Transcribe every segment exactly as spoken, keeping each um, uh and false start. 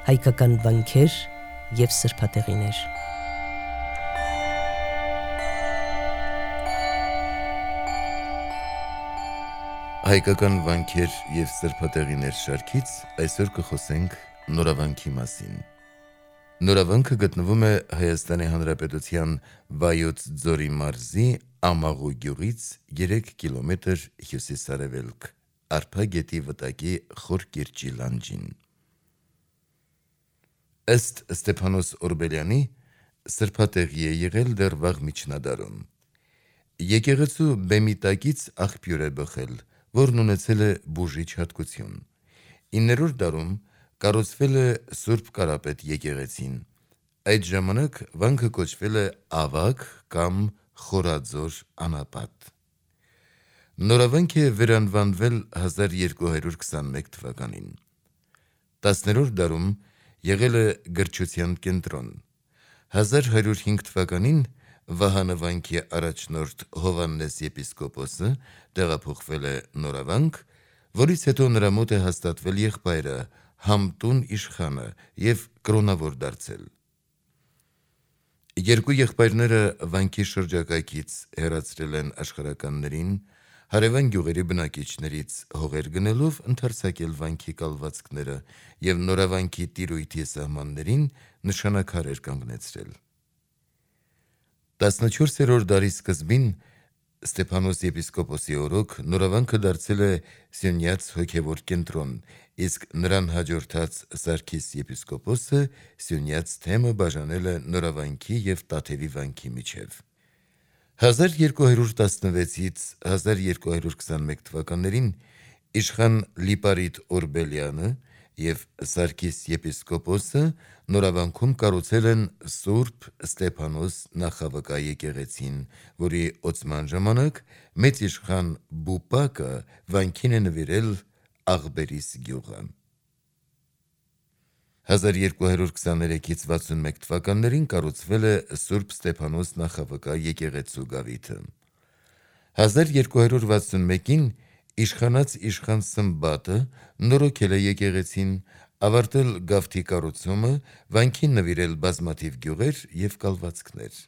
հայկական վանքեր և սրբատեղիներ։ Հայկական վանքեր և սրբատեղիներ շարքից այսօր կխոսենք նորավանքի մասին։ Նորավանքը գտնվում է Հայաստանի Հանրապետության Վայոց ձորի մարզի Ամաղու գյուղից երեք կիլոմետր հյուսիս-արևելք, Արփա գետի վտակի Խոր կիրճի լանջին։ Ըստ Ստեփանոս Օրբելյանի, սրբատեղի է եղել դեռ վաղ միջնադարում։ Եկեղեցու բեմի տակից աղբյուր է բխել, որն ունեցել է բուժիչ հատկություն։ իններորդ դարում կառուցվել է Սուրբ Կարապետ եկեղեցին։ Այդ ժամանակ վանքը կոչվել է Ավագ կամ Խորաձոր անապատ։ Նորավանք է վերանվանվել հազար երկու հարյուր քսանմեկ թվականին։ տասներորդ դարում եղել է գրչության կենտրոն։ հազար հարյուր հինգ թվականին Վահանը վանքի առաջնորդ Հովհաննես եպիսկոպոսը տեղափոխվել է Նորավանք, որից հետո նրա մոտ է հաստատվել եղբայրը Համտուն իշխանը և կրոնավոր դարձել։ Երկու եղբայրները վանքի շրջակայքից հեռացրել են աշխարհականներին, հարևան գյուղերի բնակիչներից հողեր գնելով ընդարձակել վանքի կալվածքները և Նորավանքի տիրույթի սահմաններին նշանաքարեր կանգնեցրել։ տասնչորսերորդ դարի սկզբին Ստեփանոս եպիսկոպոսի օրոք Նորավանքը դարձել է Սյունյաց հոգևոր կենտրոն, իսկ նրան հաջորդած Սարգիս եպիսկոպոսը Սյունյաց թեմը բաժանել է Նորավանքի և Տաթևի վանքի միջև։ հազար երկու հարյուր տասնվեցից հազար երկու հարյուր քսանմեկ թվականներին իշխան Լիպարիտ Օրբելյանը և Սարգիս եպիսկոպոսը Նորավանքում կառուցել են Սուրբ Ստեփանոս նախավկա եկեղեցին, որի ոցման ժամանակ մեծ իշխան Բուպակը վանքին է նվիրել Աղբերիս գյուղը։ հազար երկու հարյուր քսաներեքից վաթսունմեկ թվականներին կառուցվել է Սուրբ Ստեփանոս նախավկա եկեղեցու գավիթը։ հազար երկու հարյուր վաթսունմեկին իշխանած իշխան Սմբատը նորոգել է եկեղեցին, ավարտել գավթի կառուցումը, վանքին նվիրել բազմաթիվ գյուղեր և կալվածքներ։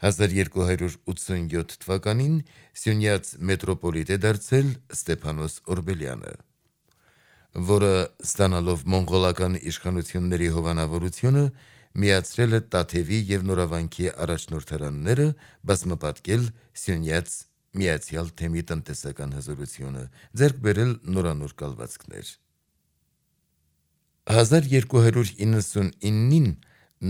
հազար երկու հարյուր ութսունյոթ թվականին Սյունյաց մետրոպոլիտ է դարձել Ստեփանոս Օրբելյանը, որը ստանալով մոնղոլական իշխանությունների հովանավորությունը միացրել է Տաթևի և Նորավանքի առաջնորդարանները, բազմապատկել Սյունյաց Միացյալ Թեմի տնտեսական հզորությունը, ձեռք բերել նորանոր կալվածքներ։ հազար երկու հարյուր իննսունինին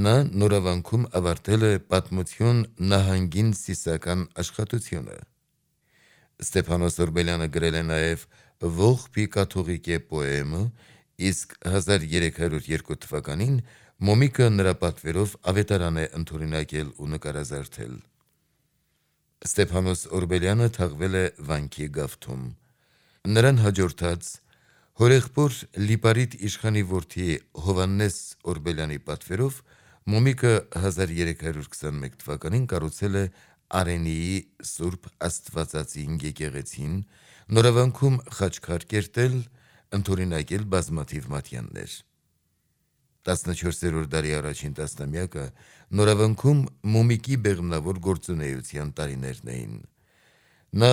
նա Նորավանքում ավարտել է պատմություն նահանգին սիսական աշխատությունը։ Ստեփանոս Օրբելյանը գրել է նաև Ողբի կաթողիկե պոեմը, իսկ հազար երեք հարյուր երկու թվականին Մոմիկը նրա պատվերով ավետարան է ընդօրինակել ու նկարազարդել։ Ստեփանոս Օրբելյանը թաղվել է վանքի գավթում։ Նրան հաջորդած հորեղբոր Լիպարիտ իշխանի որդի Հովհաննես Օրբելյանի պատվերով Մոմիկը հազար երեք հարյուր քսանմեկ թվականին կառուցել է Արենիի Սուրբ Աստվածածին եկեղեցին, Նորավանքում խաչքար կերտել, ընդօրինակել բազմաթիվ մատյաններ։ տասնչորսերորդ դարի առաջին տասնամյակը Նորավանքում Մոմիկի բեղմնավոր գործունեության տարիներն էին։ Նա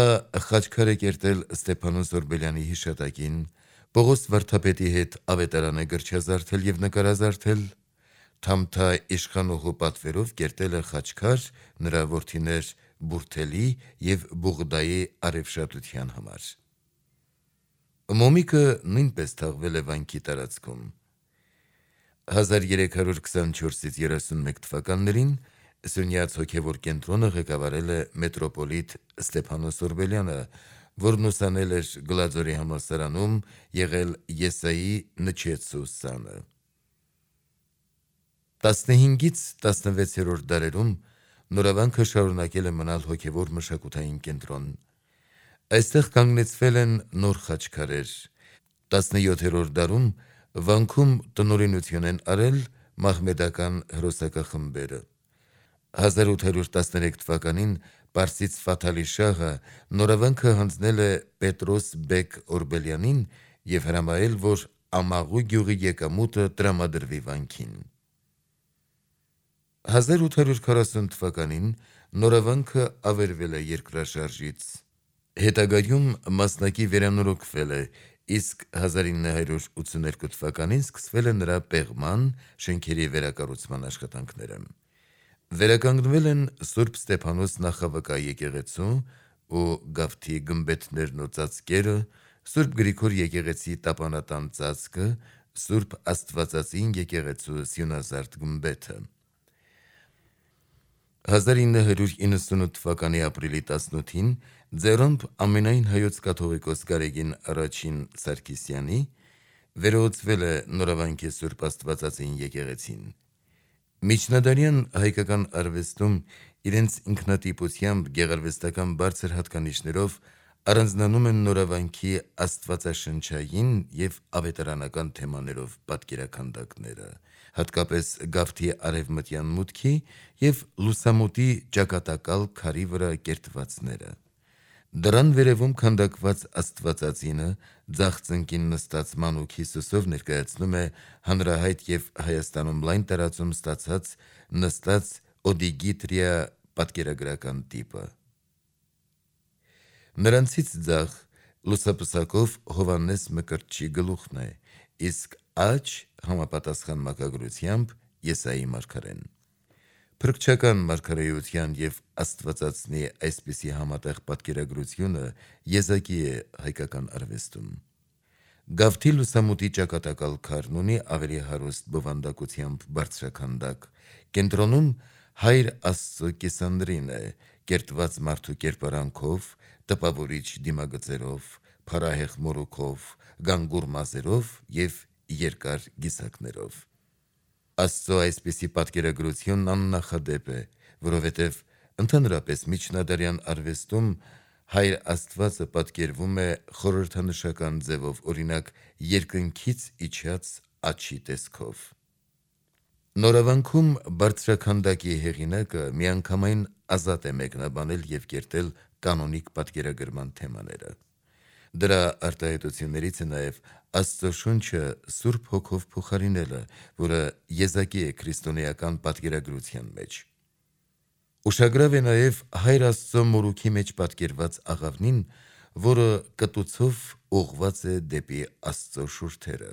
խաչքար է կերտել Ստեփանոս Օրբելյանի հիշատակին, Պողոս վարդապետի հետ ավետարան է գրչազարդել և նկարազարդել, Թամթա իշխանուհու պատվերով կերտել է խաչքար նրա որդիներ Բուրթելի և Բուղդայի արևշատության համար։ Մոմիկը նույնպես թաղվել է վանքի տարածքում։ հազար երեք հարյուր քսանչորսից երեսունմեկ թվականներին Սյունյաց հոգևոր կենտրոնը ղեկավարել է մետրոպոլիտ Ստեփանոս Օրբելյանը, որն ուսանել էր Գլաձորի համալսարանում, եղել Եսայի Նչեցու սանը։ տասնհինգից տասնվեցերորդ դարերում Նորավանքը շարունակել է մնալ հոգևոր մշակութային կենտրոն։ Այստեղ կանգնեցվել են նոր խաչքարեր։ տասնյոթերորդ դարում վանքում տնօրինություն են արել մահմեդական հրոսակախմբերը։ հազար ութ հարյուր տասներեք թվականին պարսից Ֆաթալի շահը Նորավանքը հանձնել է Պետրոս բեկ Օրբելյանին և հրամայել, որ Ամաղու գյուղի եկամուտը տրամադրվի վանքին։ հազար ութ հարյուր քառասուն թվականին նորավանքը ավերվել է երկրաշարժից։ Հետագայում մասնակի վերանորոգվել է, իսկ հազար ինը հարյուր ութսուներկու թվականին սկսվել է նրա պեղման, շենքերի վերակառուցման աշխատանքները։ Վերականգնվել են Սուրբ Ստեփանոս նախավկա եկեղեցու ու Գավթի գմբեթներն ու ծածկերը, Սուրբ Գրիգոր եկեղեցի տապանատան ծածկը, Սուրբ Աստվածածին եկեղեցու սյունազարդ գմբեթը։ հազար ինը հարյուր իննսունութ թվականի ապրիլի տասնութին ձեռամբ ամենայն հայոց կաթողիկոս Գարեգին առաջին Սարգսյանի վերահսկվել է Նորավանքի Սուրբ Աստվածածին եկեղեցին։ Միջնադարյան հայկական արվեստում իրենց ինքնատիպությամբ գեղարվեստական բարձր հատկանիշներով առանձնանում են Նորավանքի աստվածաշնչային և ավետարանական թեմաներով պատկերաքանդակները, հատկապես Գավթի արևմտյան մուտքի և լուսամուտի ճակատակալ քարի վրա կերտվածները։ Դրան վերևում քանդակված Աստվածածինը ձախ ծնկին նստած մանուկ Հիսուսով ներկայացնում է հանրահայտ և Հայաստանում լայն տարածում ստացած նստած օդիգիտրիա պատկերագրական տիպը։ Նրանցից ձախ լուսապսակով Հովհաննես Մկրտչի գլուխն է, իսկ աջ համապատասխան մակագրությամբ Եսայի մարգարեն։ Փրկչական մարգարեության և Աստվածածնի այսպիսի համատեղ պատկերագրությունը եզակի է հայկական արվեստում։ Գավթի լուսամուտի ճակատակալ քարն ունի ավելի հարուստ բովանդակությամբ բարձրաքանդակ, կենտրոնում Հայր Աստծո կիսանդրին է, կերտված մարդու կերպարանքով, տպավորիչ դիմագծերով, փառահեղ մորուքով, գանգուր մազերով և երկար գիսակներով։ Աստծո այսպիսի պատկերագրությունն աննախադեպ է, որովհետև ընդհանրապես միջնադարյան արվեստում Հայր Աստվածը պատկերվում է խորհրդանշական ձևով, օրինակ երկնքից իջած աջի տեսքով։ Նորավանքում բարձրաքանդակի հեղինակը միանգամայն ազատ է մեկնաբանել և կերտել կանոնիկ պատկերագրման թեմաները։ Դրա արտահայտություններից է նաև Աստծո շունչը Սուրբ Հոգով փոխարինելը, որը եզակի է քրիստոնեական պատկերագրության մեջ։ Ուշագրավ է նաև Հայր Աստծո մորուքի մեջ պատկերված աղավնին, որը կտուցով ուղղված է դեպի Աստծո շուրթերը։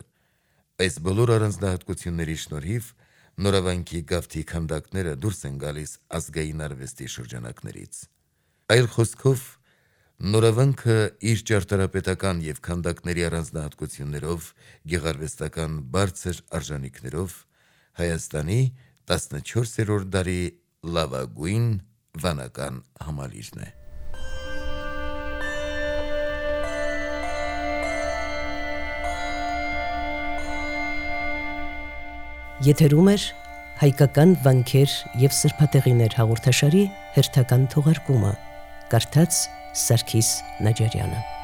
Այս բոլոր առանձնահատկությունների շնորհիվ Նորավանքի Գավթի քանդակները դուրս են գալիս ազգային արվեստի շրջանակներից։ Այլ խոսքով, Նորավանքը իր ճարտարապետական և քանդակների առանձնահատկություններով, գեղարվեստական բարձր արժանիքներով Հայաստանի տասնչորսերորդ դարի լավագույն վանական համալիրն է։ Եթերում էր հայկական վանքեր և սրբատեղիներ հաղորդաշարի հերթական թողարկումը, կարդաց Սարգիս Նաջարյանը։